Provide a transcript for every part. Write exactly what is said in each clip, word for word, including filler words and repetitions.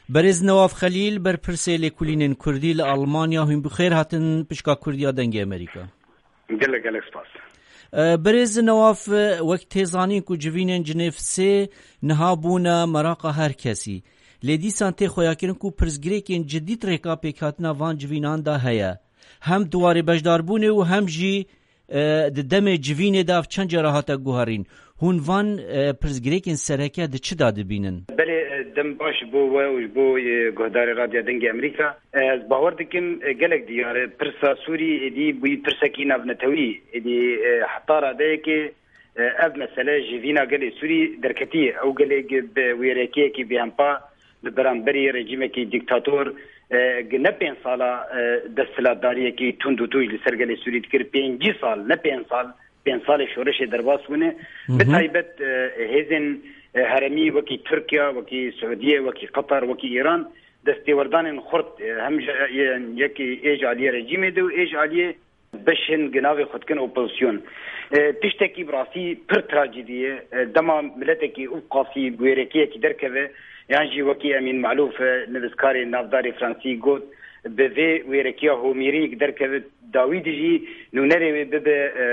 Berêz Newaf Xelîl, berpirsê lêkolînên Kurdî li Almanya, hûn bi xêr hatin pişka Kurdiya Dengê Amerîka. Gelek, gelek spas. E, Berêz Newaf, e, wek tê zanîn ku civînên Cinêv sê niha bûne meraqa her kesî. Lê dîsan tê xweyakirin ku pirsgirêkên cidî di rêka pêkhatina van civînan de heye. Hem di warê beşdarbûnê û hem jî, e, di demê civînê de ev çend cara hate guherîn. Hûn van, e, pirsgirêkên sereke di çi de dibînin? Belê, e, dem baş ji bo we û ji bo, e, guhdarê Radya Dengê Amerîka. E, ez bawer dikim, e, gelek diyar e. Pirsa Sûrî êdî bûyî pirsekî navnetewî. Êdî, e, heta radeyekê, e, ev mesele ji vîna gelê Sûrî derketiye. Ew gelê gi bi wêrekiyekî bêhempa li beramberî rejîmekî dîktator, e, gi ne pênc sala, e, desthilatdariyekî tund û tûj li ser gelê Sûrî dikir. Pêncî sal, ne pênc sal, pênc salê şoreşê derbas bûne. Hı hı. Bi taybet, e, hêzên, e, heremî wekî Tirkiye, wekî Siûdiye, wekî Qatar, wekî Îran destêwerdanên xurt, e, hem ji, e, yekî ê ji aliyê rejîmê de û ê ji aliyê beşên gi navê xwe dikin opozisyon. E, tiştekî bi rastî pir trajîdî ye. E, dema miletekî ew qasî bi wêrekiyekî derkeve, yan jî wekî Emîn Malûf, e, nivîskarê navdarê Fransî got, bi vê wêrekiya Homêrî derkeve, dawî de jî nûnerê wê bibe, e,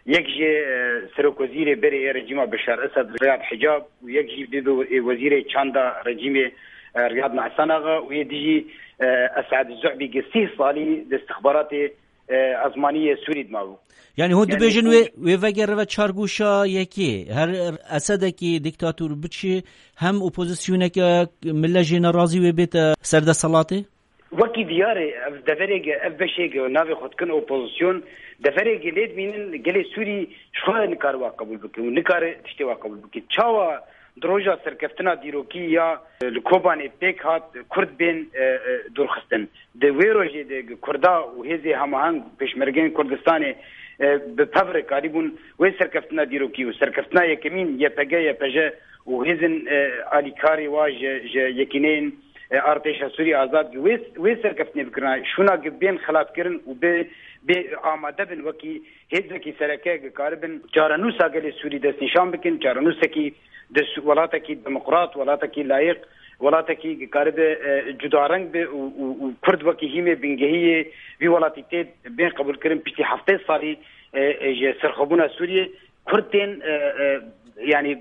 yek jê, e, serokwezîrê berê yê rejîma Beşar Esed Riyad Hicab û yek jî bibe, e, wezîrê çanda rejîmê, e, Riyad Mehsen Axa û yê dijî, e, Esad Zu'bî gi sîh salî di istixbaratê, e, ezmanî yê Sûrî de mabû. Yani hûn Yani dibêjin hûn wê, wê vegere ve çargûşa yekê. Her Esedekî dîktator biçî hem opozisyoneke mille jê nerazî wê bête ser desthilatê? Wekî diyar e, ev deverê ge, ev beşê ge navê xwe dikin opozisyon, deverê ge lê dimînin gelê Sûrî ji xwe nikare wa qebûl bike û nikare tiştê wa qebûl bike. Çawa di roja serkeftina dîrokî ya, e, li Kobanê pêk hat, Kurd bên, e, e, dûrxistin. Di wê rojê de Kurda û hêzê hemaheng pêşmergeyên Kurdistanê, e, bi pev re karîbûn wê serkeftina dîrokî û serkeftina yekemîn Y P G, Y P J û hêzên, e, alîkarê wa ji, ji yekîneyên, e, artêşa Sûrî Azad wê, wê serkeftinê bikirina. Şûna ki bên xelatkirin û bê, bê amade bin wekî hêzekî sereke ki karibin çarenûsa gelê Sûrî destnîşan bikin, çarenûsekî di s-, welatekî demokrat, welatekî layiq, welatekî ki karibe, e, cudareng be û, û, û Kurd wekî hîmê bingehî yê vî welatî tê bên qebûlkirin piştî heftê salî, e, e, ji serxwebûna Sûriyê. Kurd tên, e, e, yanî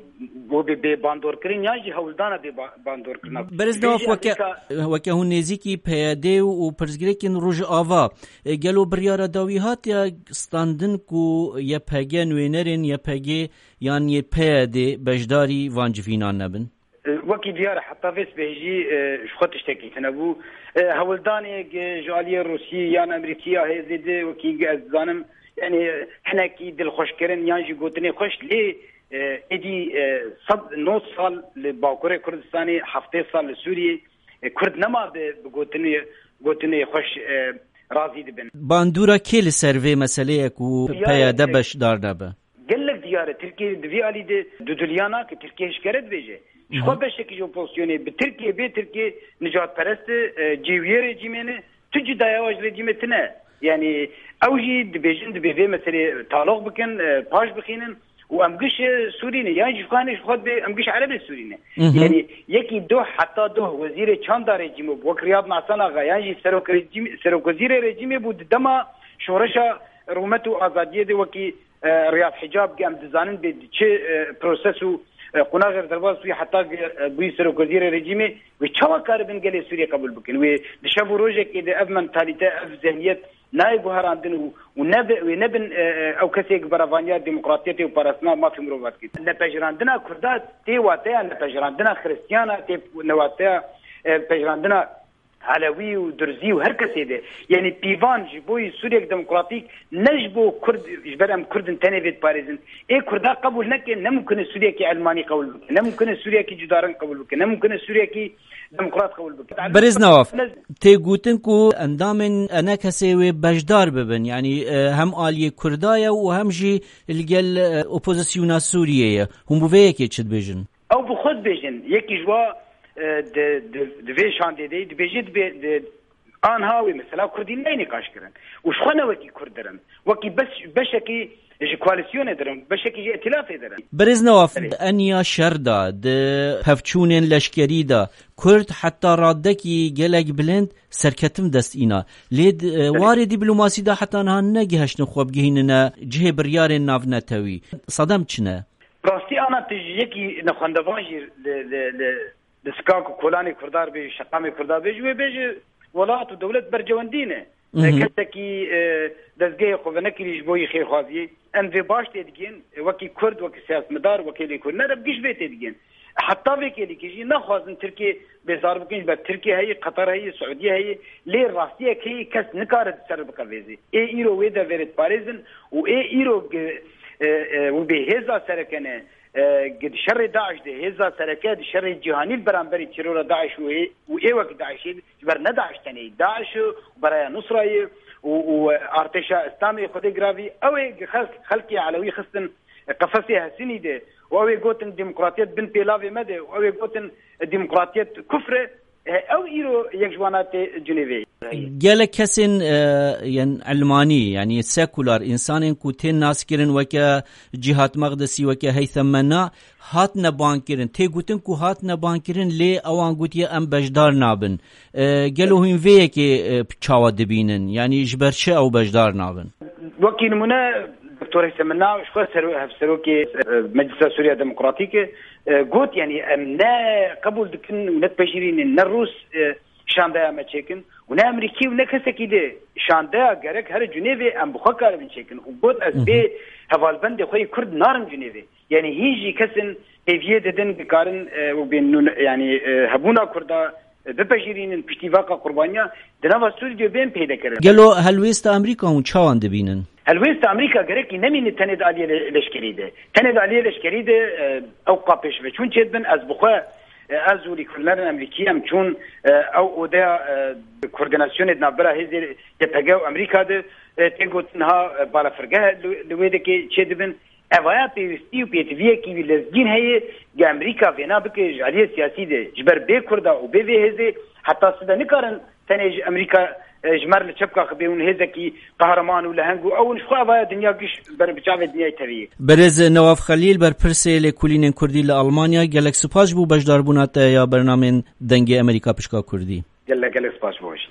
bo bê, bê bandorkirin yan jî hewldana bê ba-, bandorkirina. Berêz Dewaf, weke, weke hûn nêzîkî P Y D û pirsgirêkên Rojava, e, gelo biryara dawî hatiye standin ku Y P G, nûnerên Y P G yan yê P Y D beşdarî van civînan nebin? E, wekî diyar e, heta vê sibehê jî, e, ji xwe tiştekî tune bû. E, hewldanê, e, ji aliyê Rûsî yan Amerîkî ya hêzê de, wekî ez dizanim, yanî, e, hinekî dilxweşkirin yan jî gotinê xweş, lê, e, êdî, e, sed nod sal li Bakurê Kurdistanê, heftê sal li Sûriyê, e, Kurd nema bi, bi gotinê, gotinê xweş, e, razî dibin. Bandora kê li ser vê meseleyê ku Diyar e, P Y D beşdar nebe? Gelek diyar e. Tirkiye di vî alî de dudiliya nake. Tirkiye hişkere dibêje. Ji xwe beşekî ji opozisyonê bi Tirkiye, bê Tirkiye nijadperest e, e, cêwiyê rejîmê ne. Tu cudaya wa ji rejîmê tine. Yanî ew jî dibêjin, dibê vê meselê taloq bikin, e, paş bixînin û em giş, e, Sûrî ne. Yan jî ji xwe ne, ji xwe dibê em giş Erebê Sûrî ne. Yanî yekî doh heta doh wezîrê çanda rejîmê bû, wek Riyad Mehsen Axa, yan jî serok rejîm-, serokwezîrê rejîmê bû di dema şoreşa rûmet û azadiyê de wekî e, Riyad Hicab, em dizanin bê çi, e, proses û, e, qonaxê derbas wî heta, e, bûyî serokwezîrê rejîmê, wê çawa karibin gelê Sûriyê qebûl bikin? Wê di şev û rojekê de ev mentalîte, ev zehniyet nayê guherandin û, û nebe-, wê nebin, e, e, ew kesê ki berevaniya demokratiyetê û parastina mafê mirova dikin. Nepejirandina Kurda tê wateya nepejirandina Xiristiyana, tê newateya, e, pejirandina Elewî û Durzî û her kesê de. Yanî pîvan ji bo yî Sûriyek demokratîk ne ji bo Kurd, ji ber em Kurd in tenê vê diparêzin. Ê Kurda qebûl neke, ne mumkin e Sûriyekî elmanî qebûl bike, ne mumkin e Sûriyekî cudareng qebûl bike, ne mumkin e Sûriyekî demokrat qebûl bike. Berêz Newaf, tê gotin ku endamên E N K S'ê wê beşdar bibin, yanî, e, hem aliyê Kurda ye û hem jî li gel, e, opozisyona Sûriyê ye. Hûn bi vê yekê çi dibêjin? Ew bi xwe dibêjin, yekî ji wa, e, di, di, di vê şandê de dibêje, dibê, di, anha wê mesela Kurdî neyê nîqaş kirin. Û ji xwe ne wekî Kurd dirin. Wekî beş, beşekî, Ji koalîsyonê dirin, beşekî ji îtîlafê dirin. Berêz Newaf, Belê. Eniya şer de, di pevçûnên leşkerî de, Kurd heta radekî gelek bilind serketin dest îna. Lê di, e, Belê. Warê dîplomasî de heta niha negihiştin xwe bigihînine cihê biryarên navnetewî. Sedem çi ne? Rastî ana tu ji yekî nexwendevan jî li, li, li, li Skak û Kolanê Kurda bêjî, şeqamê Kurda bêjî, wê bêjî welat û dewlet bercewendî ne. Mhm. Kesekî, e, dezgehê xwe venekirî ji bo yî xêrxwaziyê. Em vê baş tê digihên, e, wekî Kurd, wekî siyasetmedar, wekî lêkolîner, em giş vê tê digihên. Heta vê kêlîkê jî naxwazin Tirkiye bêzar bikin, ji ber Tirkiye heye, Qetar heye, Siûdiye heye, lê rastiyek heye kes nikare di ser biqevêzê. Ê îro wê devêrê diparêzin û ê îro gi-, e, e, û bê hêza sereke ne, e, gi di şerê DAIŞ de, hêza sereke di şerê cîhanî li beramberî terora DAIŞ û ê, û ê wekî DAIŞê, ji ber ne DAIŞ tenê, DAIŞ û Beraya Nusrayê û, û Artêşa Îslamê Xwedê giravî, ew ê gi xelk-, xelkê Elewî xistin qefesê hesinî de û ew ê gotin demokratiyet bin pêlavê me de û ew ê gotin demokratiyet kufr e, e, ew îro yek ji wana tê Cinêvê. Gelek kesên, e, yên ilmanî, yanî sekular, însanên ku tên naskirin weke Cîhat Meqdisî, weke Heythem Mena, hatine bankirin. Tê gotin ku hatine bankirin, lê ewan gotiye em beşdar nabin. E, gelo hûn vê yekê, e, çawa dibînin? Yanî ji ber çi ew beşdar nabin? Wekî nimûne, Doktor Heythem Mena ji xwe ser-, hevserokê, e, Meclisa Sûriya Demokratîk e, e, got, yanî em ne qebûl dikin û ne dipejirînin, ne Rûs, e, şandeya me çêkin û ne Amerîkî û ne kesekî dê. Şandeya gerek here Cinêvê, em bi xwe karibin çêkin. Û got, ez Hı hı. bê hevalbendê xwe yê Kurd narim Cinêvê. Yanî hîn jî kesin hêviyê didin, dikarin, e, û bên nûn-, yanî, e, hebûna Kurda, e, bipejirînin piştî vaka qurbaniya di nava Sûrî de bên peyde kirin. Gelo helwêsta Amerîka hûn çawan dibînin? Helwêsta Amerîka gerekî nemîne tenê di aliyê le-, leşkerî de. Tenê di aliyê leşkerî de, e, ew ka pêşveçûn çêdibin, ez bi xwe, e, ez û lêkolînerên Amerîkî em çûn, e, ew odeya, e, koordînasyonê di navbera hêzê Y P G û Amerîka de, e, tê gotin ha, e, balafirgeh li, li wê dekê çêdibin. Evaya pêwîstî û pêtiviyekî wî lezgîn heye, ge Amerîka vêna bike ji aliyê siyasî de, ji ber bê Kurda û bê vê hêzê heta sibe nikarin tenê ji Amerîka, e, ji mer li çepka xwe bê hûn hêzekî qehreman û leheng û ew hûn ji xwe evaya dinya giş ber bi çavê dinyayê tevî. Berêz Newaf Xelîl, berpirsê lêkolînên Kurdî li Almanya, gelek spas ji bo beşdarbûna te ya bernamên Dengê Amerîka pişka Kurdî. Gelek, gelek spas ji bo we jî.